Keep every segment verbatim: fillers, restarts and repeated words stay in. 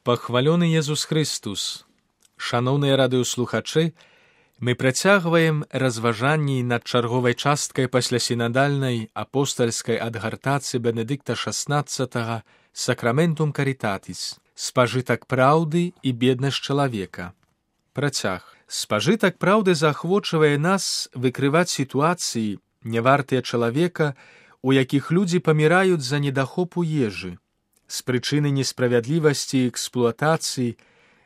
Пахвалёны Езус Христус! Шаноўныя радыёслухачы, мы працягваем разважанні над чарговай часткай паслясінадальнай апостальскай адгартацыі Бенедыкта шаснаццатага «Сакраментум каритатис» «Спажытак праўды і беднасць чалавека». Працяг. Спажытак праўды заахвочвае нас выкрываць сітуацыі, нявартыя чалавека, у якіх людзі паміраюць за недахопу ежы, з прычыны несправядлівасці і эксплуатацыі,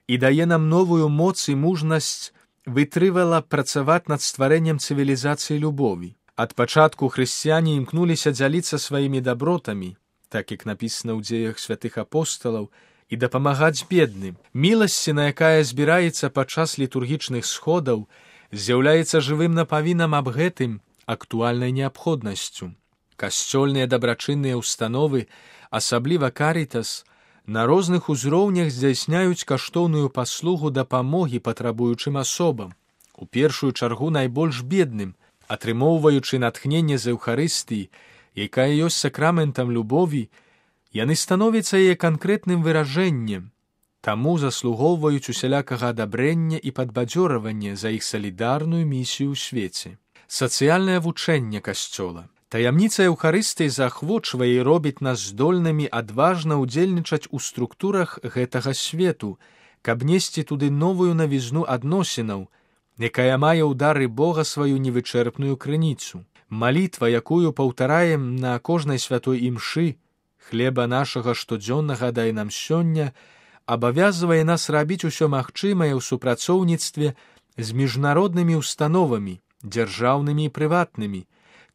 і дае нам новую моц і мужнасць вытрывала працаваць над стварэннем цывілізацыі любові. Ад пачатку хрысціяне імкнуліся дзяліцца сваімі дабротамі, так як напісана ў дзеях святых апосталаў, і дапамагаць бедным. Міласціна, якая збіраецца падчас літургічных сходаў, з'яўляецца жывым напавінам аб гэтым актуальнай неабходнасцю. Касцёльныя дабрачынныя ўстановы, асабліва карітас, на розных узроўнях здзяйсняюць каштоўную паслугу дапамогі патрабуючым асобам, у першую чаргу найбольш бедным, атрымоўваючы натхненне з Еўхарыстыі, якая ёсць сакраментам любові, яны становяцца яе канкрэтным выражэннем, таму заслугоўваюць усялякага адабрэння і падбадзёрвання за іх салідарную місію ў свеце. Сацыяльнае вучэнне Касцёла. Таямніца Еўхарыстыі заахвочвае і робіць нас здольнымі адважна ўдзельнічаць у структурах гэтага свету, каб несці туды новую навізну адносінаў, якая мае ў дары Бога сваю невычэрпную крыніцу. Малітва, якую паўтараем на кожнай святой імшы, хлеба нашага штодзённага дай нам сёння, абавязвае нас рабіць усё магчымае ў супрацоўніцтве з міжнароднымі ўстановамі, дзяржаўнымі і прыватнымі,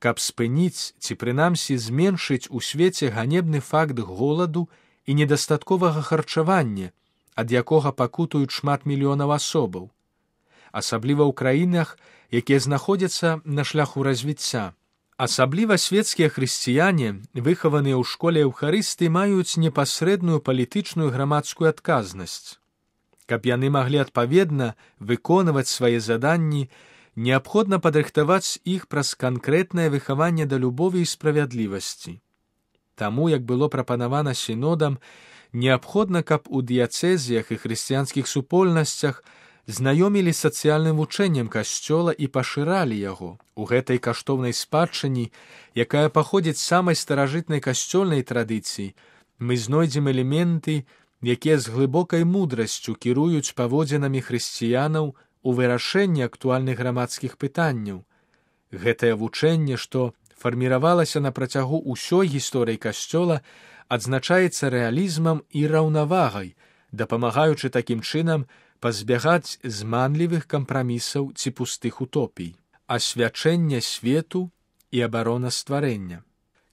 каб спыніць ці прынамсі зменшыць у свеце ганебны факт голаду і недастатковага харчавання, ад якога пакутуюць шмат мільёнаў асобаў, асабліва ў краінах, якія знаходзяцца на шляху развіцця. Асабліва свецкія хрысціяне, выхаваныя ў школе Еўхарыстыі, маюць непасрэдную палітычную грамадскую адказнасць. Каб яны маглі адпаведна выконваць свае заданні, неабходна падрыхтаваць іх праз канкрэтнае выхаванне да любові і справядлівасці. Таму, як было прапанавана сінодам, неабходна, каб у дыяцэзіях і хрысціянскіх супольнасцях знаёмілі сацыяльным вучэннем Касцёла і пашыралі яго. У гэтай каштоўнай спадчыне, якая паходзіць з самай старажытнай касцёльнай традыцыі, мы знойдзем элементы, якія з глыбокай мудрасцю кіруюць паводзінамі хрысціянаў у вырашэнні актуальных грамадскіх пытанняў. Гэтае вучэнне, што фарміравалася на працягу ўсёй гісторыі Касцёла, адзначаецца рэалізмам і раўнавагай, дапамагаючы такім чынам пазбягаць зманлівых кампрамісаў ці пустых утопій. Асвячэнне свету і абарона стварэння.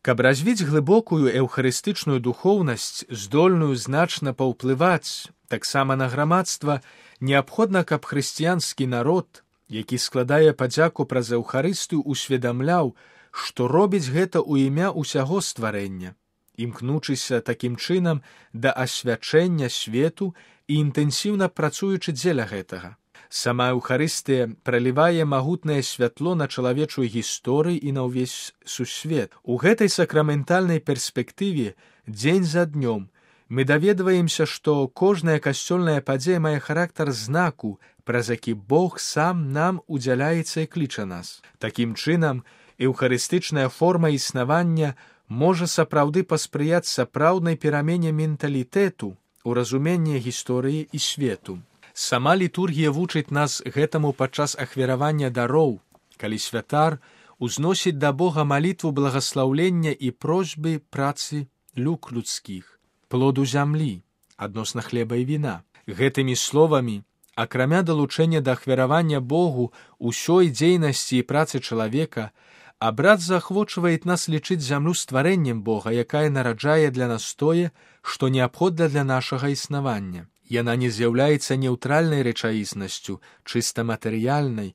Каб развіць глыбокую эўхарыстычную духоўнасць, здольную значна паўплываць таксама на грамадства, неабходна, каб хрысціянскі народ, які складае падзяку праз Еўхарыстыю, усведамляў, што робіць гэта ў імя ўсяго стварэння, імкнучыся такім чынам да асвячэння свету і інтэнсіўна працуючы дзеля гэтага. Сама Еўхарыстыя пралівае магутнае святло на чалавечую гісторыю і на ўвесь сусвет. У гэтай сакраментальнай перспектыве дзень за днём мы даведваемся, што кожная касцёльная падзея мае характар знаку, праз які Бог сам нам удзяляецца і кліча нас. Такім чынам, эўхарыстычная форма існавання можа сапраўды паспрыяць сапраўднай перамене менталітэту у разуменні гісторыі і свету. Сама літургія вучыць нас гэтаму падчас ахвяравання дароў, калі святар узносіць да Бога малітву благаслаўлення і просьбы працы люк людскіх, плоду зямлі, адносна хлеба і віна. Гэтымі словамі, акрамя далучэння да ахвяравання Богу ўсёй дзейнасці і працы чалавека, абрад заахвочвае нас лічыць зямлю стварэннем Бога, якая нараджае для нас тое, што неабходна для нашага існавання. Яна не з'яўляецца неўтральнай рэчаіснасцю, чыста матэрыяльнай,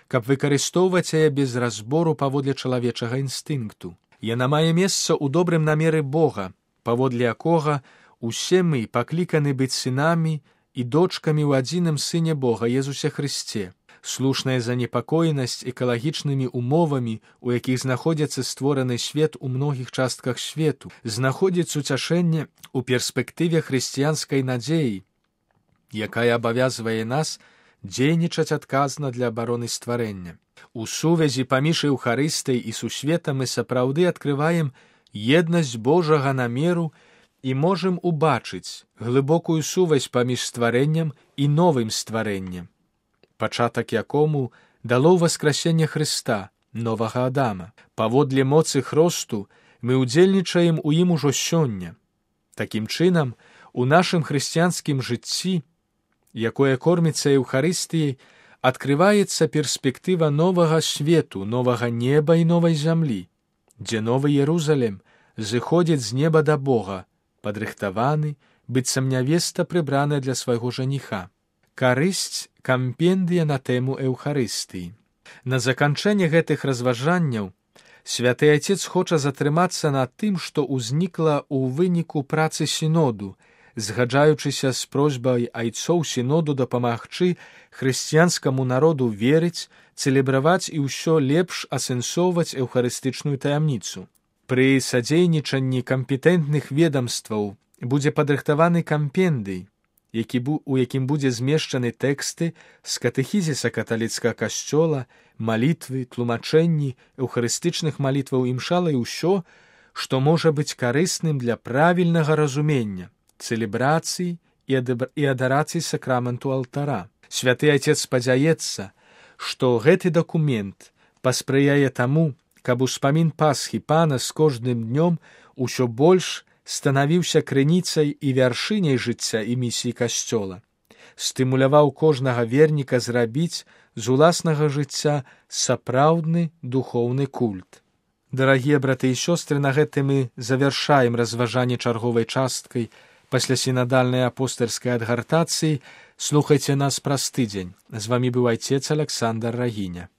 каб выкарыстоўваць яе без разбору паводле чалавечага інстынкту. Яна мае месца ў добрым намеры Бога, паводле якога усе мы пакліканы быць сынамі і дочкамі ў адзіным Сыне Бога, Езусе Хрысце. слушная занепакоенасць экалагічнымі умовамі, у якіх знаходзіцца створаны свет у многіх частках свету, знаходзіць уцяшэнне ў перспектыве хрысціянскай надзеі, якая абавязвае нас дзейнічаць адказна для абароны стварэння. У сувязі паміж Еўхарыстыяй і сусветам мы сапраўды адкрываем еднасць Божага намеру і можам убачыць глыбокую сувязь паміж стварэннем і новым стварэннем, пачатак якому дало ўваскрасенне Хрыста, новага Адама. Паводле моцы хросту мы ўдзельнічаем у ім ужо сёння. Такім чынам, у нашым хрысціянскім жыцці, якое корміцца Еўхарыстыяй, адкрываецца перспектыва новага свету, новага неба і новай зямлі, дзе новы Єрузалем зыходзіць з неба да Бога, падрыхтаваны, быццам нявеста прыбраная для свайго жаніха. Карысць кампендыя на тэму Еўхарыстыі. На заканчэнне гэтых разважанняў святы Айцец хоча затрымацца на тым, што ўзнікла ў выніку працы сіноду, згаджаючыся з просьбай айцоў сіноду дапамагчы хрысціянскаму народу верыць, цэлебраваць і ўсё лепш асэнсоўваць еўхарыстычную таямніцу. Пры садзейнічанні кампетэнтных ведамстваў будзе падрыхтаваны кампендый, які бу, у якім будзе змешчаны тэксты з катэхізіса каталіцкага касцёла, малітвы, тлумачэнні, еўхарыстычных малітваў імшала і ўсё, што можа быць карысным для правільнага разумення, цэлебрацыі і адарацыі сакраменту алтара. Святы Айцец спадзяецца, што гэты дакумент паспрыяе таму, каб успамін Пасхі Пана з кожным днём усё больш станавіўся крыніцай і вяршыняй жыцця і місіі касцёла, стымуляваў кожнага верніка зрабіць з уласнага жыцця сапраўдны духоўны культ. Дарагія браты і сёстры, на гэтым мы завяршаем разважанне чарговай часткай пасля сінадальнай апостальскай адгартацыі. Слухайце нас праз тыдзень. З вамі быў айцец Аляксандр Рагіня.